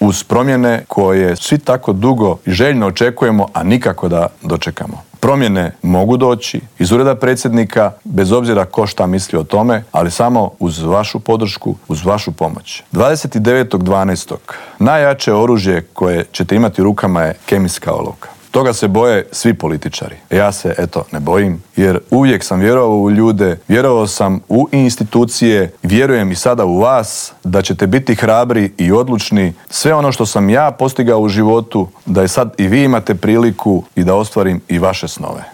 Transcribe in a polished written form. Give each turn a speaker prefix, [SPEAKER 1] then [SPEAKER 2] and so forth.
[SPEAKER 1] uz promjene koje svi tako dugo i željno očekujemo, a nikako da dočekamo. Promjene mogu doći iz ureda predsjednika, bez obzira ko šta misli o tome, ali samo uz vašu podršku, uz vašu pomoć. 29.12. najjače oružje koje ćete imati u rukama je kemijska olovka. Toga se boje svi političari. Ja se, ne bojim, jer uvijek sam vjerovao u ljude, vjerovao sam u institucije, vjerujem i sada u vas da ćete biti hrabri i odlučni. Sve ono što sam ja postigao u životu, da je sad i vi imate priliku i da ostvarim i vaše snove.